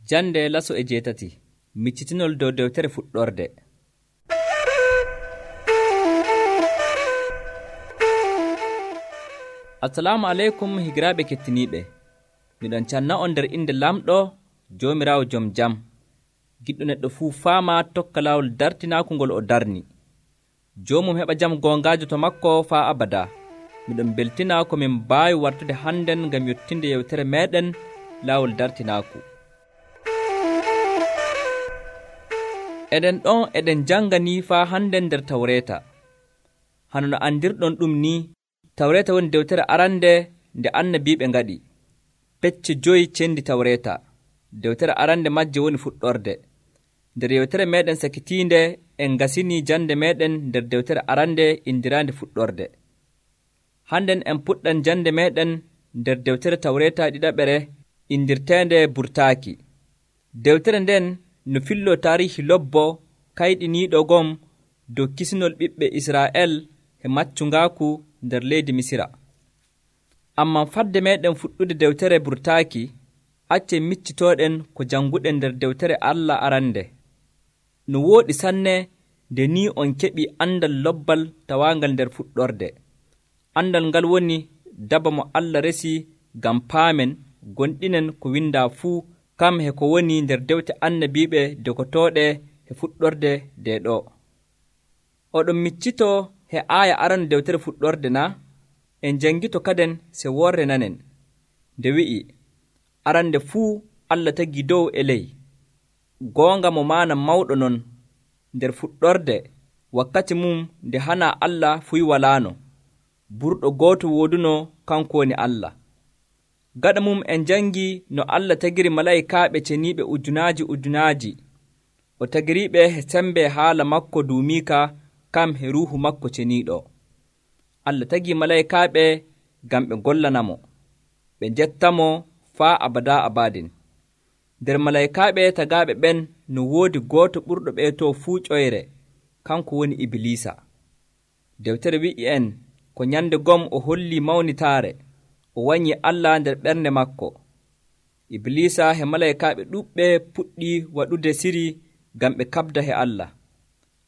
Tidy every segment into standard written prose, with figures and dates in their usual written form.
Jande laso e jeetati miccitinol dow dewtere fuɗɗorde. Assalamu aleykum higiraaɓe kettiniiɓe. Miɗon canna on nder inde lamɗo Joomiraawo jom jam. Giɗɗo neɗɗo fuu faama tokka laawol dartinaaku ngol o darni. Joomum heɓa jam goongaajo to makko faa abada. Miɗon beltina ko min mbaawi wartude hannden ngam yottinde yewtere meeɗen laawol dartinaaku. Eɗen jannganii faa hannden nder Tawreeta. Hano no andirɗon ɗum nii, Tawreeta woni dewtere arande nde annabiiɓe ngaɗi. Pecce 5 cendi Tawreeta. Dewtere arande majje woni fuɗɗorde. Nder yewtere meeɗen sakitiinde en ngasinii jande meeɗen nder dewtere arande indiraande fuɗɗorde. Hannden en puɗɗan jande meeɗen nder dewtere Tawreeta ɗiɗaɓere indirteende burtaaki. Dewtere nden no filloo taarihi lobbo kayɗiniiɗo gom dow kisinol ɓiɓɓe Israa'el e maccungaaku nder leydi Misira. Ammaa fadde meeɗen fuɗɗude dewtere burtaaki, accen miccitooɗen ko jannguɗen nder dewtere Allah arande. No wooɗi sanne nde ni on keɓii andal lobbal tawaangal nder fuɗɗorde. Andal ngal woni daba mo Allah resi ngam paamen gonɗinen ko windaa fuu kam he ko woni nder dewte annabiiɓe dekotooɗe he fuɗɗorde nde ɗo. Oɗon miccitoo he aaya arande dewtere fuɗɗorde na? En janngito kaden se worre nanen. Nde wi'i, arande fuu Allah tagi dow e ley. Goonga mo maana mawɗo non. Nder fuɗɗorde, wakkati mum nde hana Allah fuy walaano. Burɗo gooto wooduno kanko woni Allah. Gaɗa mum en jangi no Allah tagiri malaa'ikaaɓe ceniiɓe ujunaaji. O tagiriiɓe he sembe haala makko duumiika kam he ruuhu makko ceniiɗo. Allah tagi malaa'ikaaɓe ngam ɓe gollanamo, ɓe njettamo faa abadaa abadin. Nder malaa'ikaaɓe tagaaɓe ɓen no woodi gooto ɓurɗo ɓeetoo fuu ƴoyre, kanko woni Ibliisa. Dewtere wi'i en ko nyande gom o hollii mawnitaare, o wanyii Allah nder ɓernde makko. Ibliisa he malaa'ikaaɓe ɗuuɓɓe puɗɗii waɗude siri ngam ɓe kaɓda he Allah.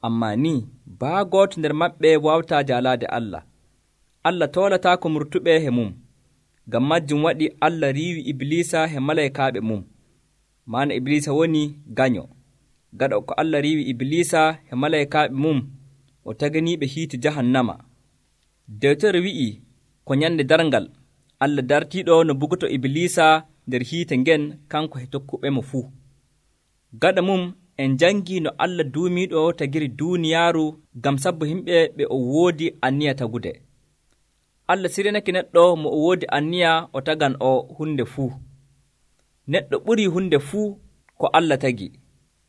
Ammaa ni, baa gooto nder maɓɓe waawataa jaalaade Allah. Allah toolataa ko murtuɓe he mum. Ngam majjum waɗi Allah riiwi Ibliisa he malaa'ikaaɓe mum. Maana Ibliisa woni ganyo. Gaɗa ko Allah riiwi Ibliisa he malaa'ikaaɓe mum, o taganiiɓe hiite jahannama. Dewtere wi'i ko nyande darngal, Allah dartiiɗo no bugoto Ibliisa nder hiite ngen kanko he tokkuɓe mo fuu. Gaɗa mum en jangi no Allah duumiiɗo tagiri duuniyaaru ngam sabbo yimɓe ɓe o woodi anniya tagude. Allah sirenake neɗɗo mo o woodi anniya o tagan o hunde fuu. Neɗɗo ɓurii hunde fuu ko Allah tagi,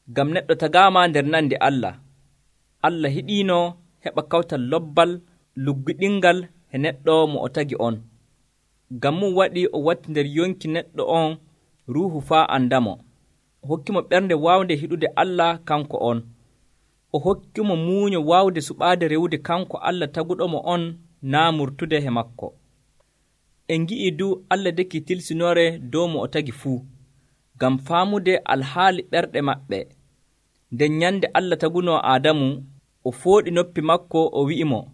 ngam neɗɗo tagaama nder nande Allah. Allah hiɗiino heɓa kawtal lobbal luggiɗingal he neɗɗo mo o tagi on. Ngam mum waɗi o watti nder yonki neɗɗo on ruuhu faa andamo. O hokkimo ɓernde waawnde hiɗude Allah kanko on. O hokkimo muuño waawde suɓaade rewude kanko Allah taguɗomo on naa murtude he makko. En ngi'ii du Allah deki tilsinoore dow mo o tagi fuu, ngam faamude alhaali ɓerɗe maɓɓe. Nden nyande Allah tagunoo Aadamu, o fooɗi noppi makko o wi'imo,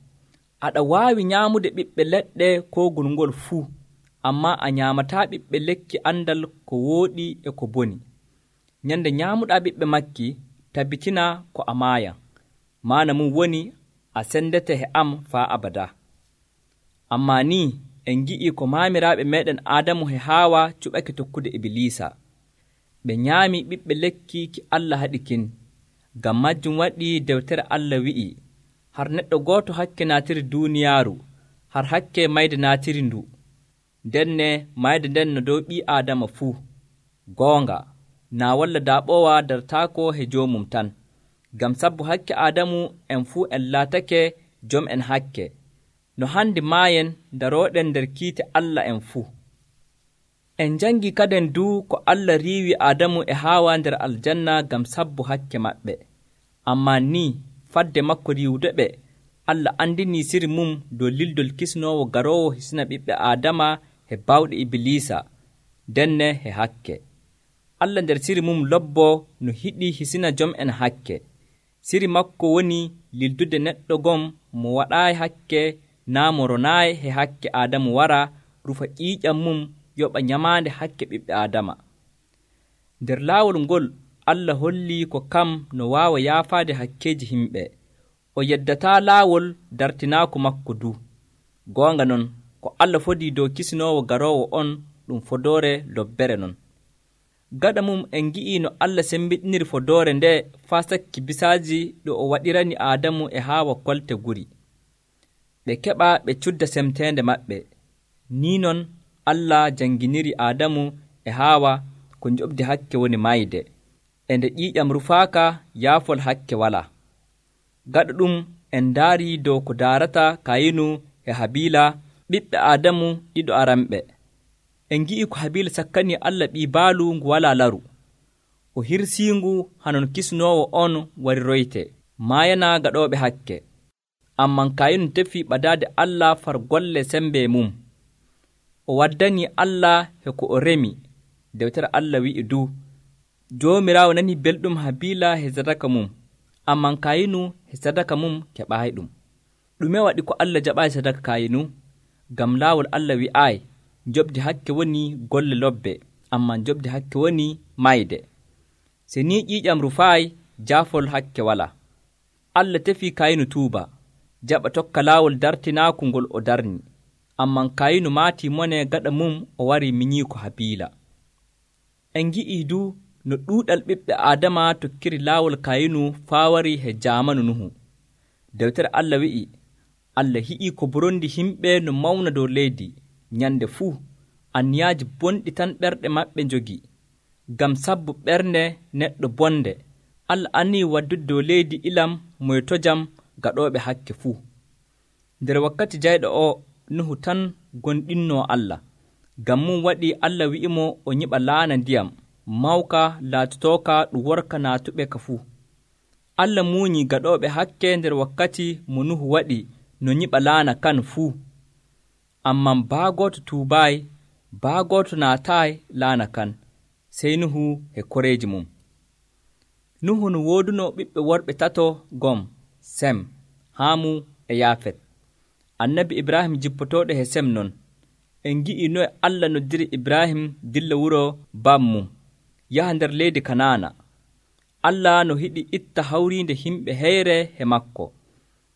aɗa waawi nyaamude ɓiɓɓe leɗɗe koogol ngol fuu, ammaa a nyaamataa ɓiɓɓe lekki andal ko wooɗi e ko boni. Nyande nyaamuɗaa ɓiɓɓe makki, tabbitina ko a maaya. Maana mum woni a sendete he am faa abada. Ammaa ni en ngi'ii ko maamiraaɓe meeɗen Aadamu he Haawa cuɓake tokkude Ibliisa. Ɓe nyaami ɓiɓɓe lekki ki Allah haɗi kin. Ngam majjum waɗi dewtere Allah wi'i, har neɗɗo gooto hakke naatiri duuniyaaru, har hakke mayde naatiri ndu. Ndenne mayde nden no dow ɓii Aadama fuu. Goonga, naa walla daaɓoowa dartaako he joomum tan. Ngam sabbu hakke Aadamu en fuu en laatake jom en hakke. No handi maayen darooɗen nder kiite Allah en fuu. En jangi kaden du ko Allah riiwi Aadamu e Haawa nder aljanna ngam sabbu hakke maɓɓe. Ammaa ni fadde makko riiwude ɓe, Allah andinii siri mum dow lildol kisnoowo garoowo hisna ɓiɓɓe Aadama he bawɗe Ibliisa, denne he hakke. Allah nder siri mum lobbo no hiɗi hisina jom'en hakke. Siri makko woni lildude neɗɗo gom mo waɗaayi hakke naa mo ronaayi he hakke Aadamu wara rufa ƴiiƴam mum yoɓa nyamaande hakke ɓiɓɓe Aadama. Nder laawol ngol Allah hollii ko kam no waawa yaafaade hakkeeji himɓe. O yeddataa laawol dartinaaku makko du. Goonga non, ko Allah fodii dow kisinoowo garoowo on ɗum fodoore lobbere non. Gaɗa mum en ngi'ii no Allah sembiɗiniri fodoore nde faa sakki bisaaji ɗo o waɗirani Aadamu e Haawa kolte guri. Ɓe keɓa ɓe cudda semteende maɓɓe. Nii non Allah janginiri Aadamu e Haawa ko njoɓdi hakke woni mayde. E nde ƴiiƴam rufaaka yaafol hakke walaa. Gaɗa ɗum en ndaarii dow ko daarata Kayinu e Habiila ɓiɓɓe Aadamu ɗiɗo aranɓe. En ngi'i ko Habiila sakkanii Allah ɓii baalu ngu walaa laru. O hirsiingu hanon kisinoowo on wari royte, maayana gaɗooɓe hakke. Amman Kayinu tefii ɓadaade Allah far golle sembe mum. O waddanii Allah he ko o remi. Dewtere Allah wi'i du, Joomiraawo nanii belɗum Habiila he sadaka mum, amman Kayinu he sadaka mum keɓaayiɗum. Ɗume waɗi ko Allah jaɓaayi sadaka Kayinu? Ngam laawol Allah wi'aayi, njoɓdi hakke woni golle lobbe, amman njoɓdi hakke woni mayde. Se ni ƴiiƴam rufaayi, jaafol hakke walaa. Allah tefii Kayinu tuuba, jaɓa tokka laawol dartinaaku ngol o darni, amman Kayinu maatii mone gaɗa mum o wari minyii ko Habiila. En ngi'ii du no ɗuuɗal ɓiɓɓe Aadama tokkiri laawol Kayinu faa wari he jaamanu Nuhu. Dewtere Allah wi'i, Allah hi'ii ko borondi himɓe no mawna dow leydi, nyande fuu anniyaaji bonɗi tan ɓerɗe maɓɓe njogi. Ngam sabbu ɓernde neɗɗo bonde, Allah annii waddude dow leydi ilam moytojam gaɗooɓe hakke fuu. Nder wakkati jayɗo o, Nuhu tan gonɗinnoo Allah. Ngam mum waɗi Allah wi'imo o nyiɓa laana ndiyam, mawka laatotooka ɗum worka naatuɓe ka fuu. Allah muunyii gaɗooɓe hakke nder wakkati mo Nuhu waɗi no nyiɓa laana kan fuu. Amman baa gooto tuubaayi, baa gooto naataayi laana kan, sey Nuhu e koreeji mum. Nuhu no woodunoo ɓiɓɓe worɓe tato gom, Sem, Haamu e Yaafet. Annabi Ibrahim jippotooɗo he Sem non. En ngi'ii noye Allah noddiri Ibrahim dilla wuro bammum, yaha nder leydi Kanaana. Allah no hiɗi itta hawriinde himɓe heyre he makko.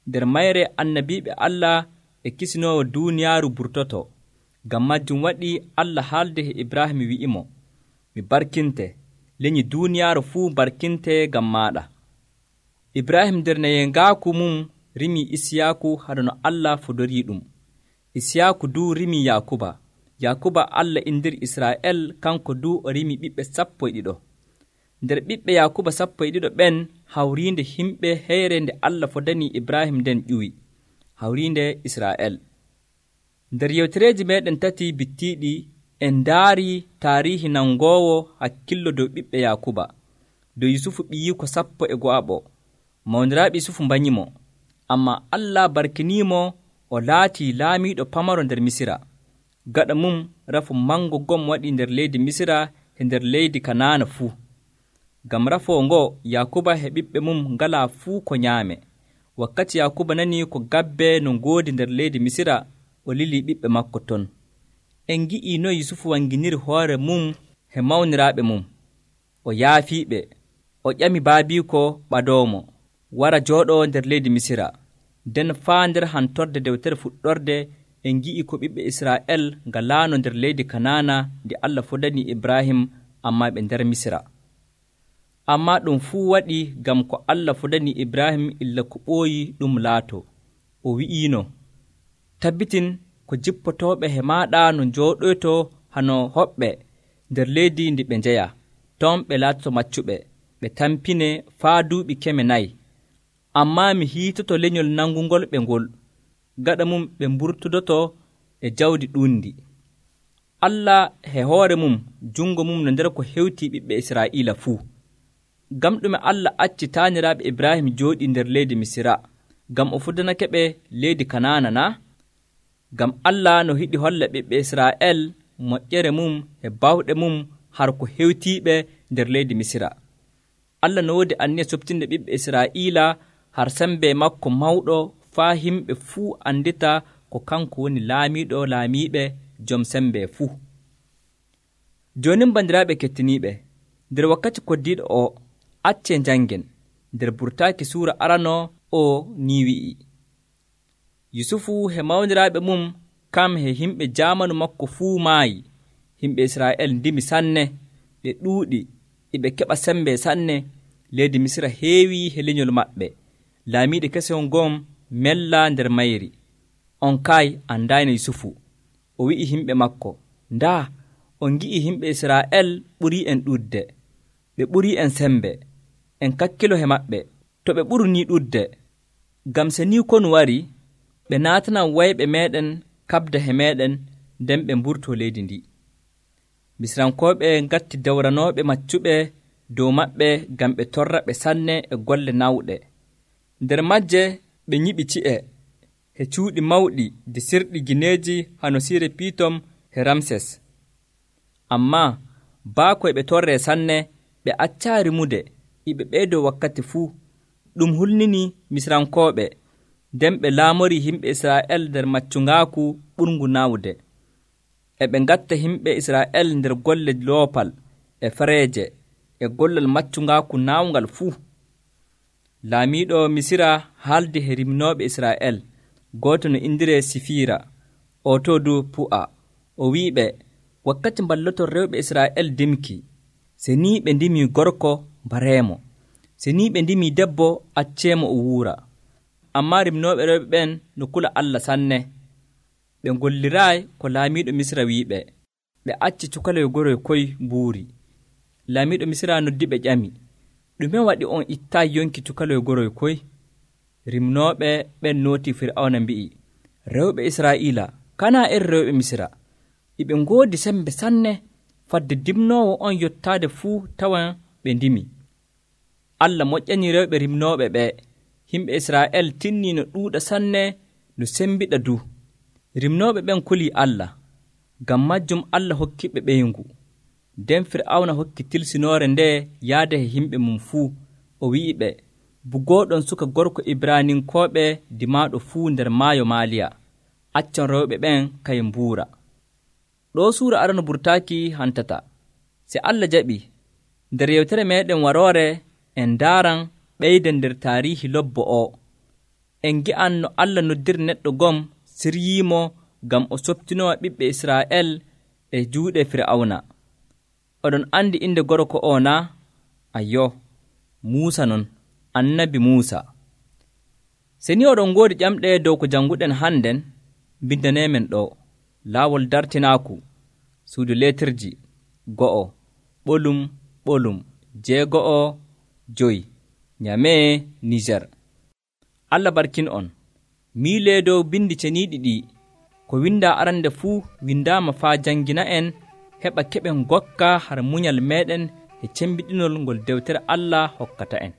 Nder mayre annabiiɓe Allah e kisinoowo duuniyaaru burtoto. Ngam majjum waɗi Allah haalde he Ibrahim wi'imo, mi barkinte, leñi duuniyaaru fuu barkinte ngam maaɗa. Ibrahim nder nayengaaku mum rimii Isiyaaku haɗa no Allah fodorii ɗum. Isiyaaku du rimii Yaakuba. Yaakuba Allah indiri Israa'el, kanko du o rimii ɓiɓɓe 12. Nder ɓiɓɓe Yaakuba 12 ɓen hawriinde himɓe heyre nde Allah fodanii Ibrahim nden ƴuwi, hawriinde Israa'el. Nder yewtereeji meeɗen tati bittiiɗi en ndaarii taariihi nangoowo hakkillo dow ɓiɓɓe Yaakuba, dow Yusufu ɓiyiiko 12. Mawniraaɓe Yusufu mbanyimo, ammaa Allah barkiniimo o laatii laamiiɗo pamaro nder Misira. Gaɗa mum rafu mango gom waɗi nder leydi Misira e nder leydi Kanaana fuu. Ngam rafoo ngo Yaakuba e ɓiɓɓe mum ngalaa fuu ko nyaame. Wakkati Yaakuba nanii ko gabbe no ngoodi nder leydi Misira, o lilii ɓiɓɓe makko ton. En ngi'ii no Yusufu wanginiri hoore mum he mawniraaɓe mum. O yaafiiɓe, o ƴami baabiiko ɓadoomo, wara jooɗoo nder leydi Misira. Nden faa nder hantorde dewtere fuɗɗorde en ngi'ii ko ɓiɓɓe Israa'el ngalaano nder leydi Kanaana ndi Allah fodanii Ibrahim, ammaa ɓe nder Misira. Ammaa ɗum fuu waɗi ngam ko Allah fodanii Ibrahim illa ko ɓooyi ɗum laato. O wi'iino, tabbitin ko jippotooɓe he maaɗa no njooɗoyto hano hoɓɓe nder leydi ndi ɓe njeya, ton ɓe laatoto maccuɓe, ɓe tampine faa duuɓi 4. Ammaa mi hiitoto lenyol nangungol ɓe ngol, gaɗa mum ɓe mburtudoto e jawdi ɗuundi. Allah he hoore mum jungo mum no nder ko hewtii ɓiɓɓe Israa'iila fuu. Ngam ɗume Allah acci taaniraaɓe Ibrahim jooɗii nder leydi Misira, ngam o fudanake ɓe leydi Kanaana na? Ngam Allah no hiɗi holla ɓiɓɓe Israa'el moƴƴere mum e bawɗe mum har ko hewtiiɓe nder leydi Misira. Allah no woodi anniya softinde ɓiɓɓe Israa'iila har sembe makko mawɗo faa himɓe fuu andita ko kanko woni laamiiɗo laamiiɓe jom sembe fuu. Jooni bandiraaɓe kettiniiɓe, nder wakkati koddiiɗo o, accee njanngen nder burtaaki suura arano o ni wi'i: Yusufu he mawniraaɓe mum kam he himɓe jaamanu makko fuu maayi. Himɓe Israa'el ndimi sanne, ɓe ɗuuɗi, ɓe keɓa sembe sanne. Leydi Misira heewi he lenyol maɓɓe. Laamiiɗo keson gon mella nder mayri. On kay andaani Yusufu. O wi'i himɓe makko: Ndaa, on ngi'i himɓe Israa'el ɓurii en ɗuɗde, ɓe ɓurii en sembe. En kakkilo he maɓɓe, to ɓe ɓuru ni ɗuɗde. Ngam se ni konu wari, ɓe naatanan wayɓe meeɗen kaɓda he meeɗen, nden ɓe mburtoo leydi ndi. Misirankooɓe ngatti dawranooɓe maccuɓe dow maɓɓe ngam ɓe torra ɓe sanne e golle nawɗe. Nder majje ɓe nyiɓi ci'e he cuuɗi mawɗi de sirɗi gineeji hano siire Piitom he Ramses. Ammaa baako e ɓe torree sanne, ɓe accaa rimude, ɓe ɓeydoo wakkati fuu. Ɗum hulnini Misirankooɓe, nden ɓe laamorii himɓe Israa'el nder maccungaaku ɓurngu nawde. E ɓe ngatta himɓe Israa'el nder golle loopal e fereeje e gollal maccungaaku naawngal fuu. Laamiiɗo Misira haaldi he rimnooɓe Israa'el, gooto no indiree Sifiira, o to dow Pu'a. O wi'iɓe, wakkati mballoton rewɓe Israa'el dimki, se ni ɓe ndimii gorko bareemo, se ni ɓe ndimii debbo acceemo o wuura. Ammaa rimnooɓe rewɓe ɓen no kula Allah sanne. Ɓe ngolliraayi ko laamiiɗo Misira wi'iɓe, ɓe acci cukaloyo goroyo koy mbuuri. Laamiiɗo Misira noddi ɓe ƴami: ɗume waɗi on ittaayi yonki cukaloyo goroyo koy? Rimnooɓe ɓen nootii Fir'awna mbi'i: rewɓe Israa'iila kanaa iri rewɓe Misira, ɓe ngoodi sembe sanne, fadde dimnoowo on yottaade fuu tawan ɓe ndimi. Allah moƴƴanii rewɓe rimnooɓe ɓee. Himɓe Israa'el tinnii no ɗuuɗa sanne, no sembiɗa du. Rimnooɓe ɓen kulii Allah, ngam majjum Allah hokkiɓe ɓeyngu. Nden Fir'awna hokki tilsinoore ndee yaade he himɓe mum fuu. O wi'iɓe, bugooɗon suka gorko Ibraaninkooɓe dimaaɗo fuu nder maayo Maaliya. Accon rewɓe ɓen kaye mbuura. Ɗoo suura arano burtaaki hantata. Se Allah jaɓi, nder yewtere meeɗen waroore en ndaaran ɓeyden nder taariihi lobbo o. En ngi'an no Allah noddiri neɗɗo gom siryiimo ngam o softinowa ɓiɓɓe Israa'el e juuɗe Fir'awna. Oɗon andi inde gorko o naa? Ayyo, Muusa non, annabi Muusa. Se ni oɗon ngoodi ƴamɗe dow ko jannguɗen hannden, mbindaneemen ɗo: laawol dartinaaku, suudu leetirji, 1, ɓolum ɓolum, 6, Nyamee, Niger. Allah barkin on. Miilee dow bindi ceniiɗi ɗi, ko windaa arande fuu windaama faa janngina en, heɓa keɓen gokka har munyal meeɗen e cembiɗinol ngol dewtere Allah hokkata en.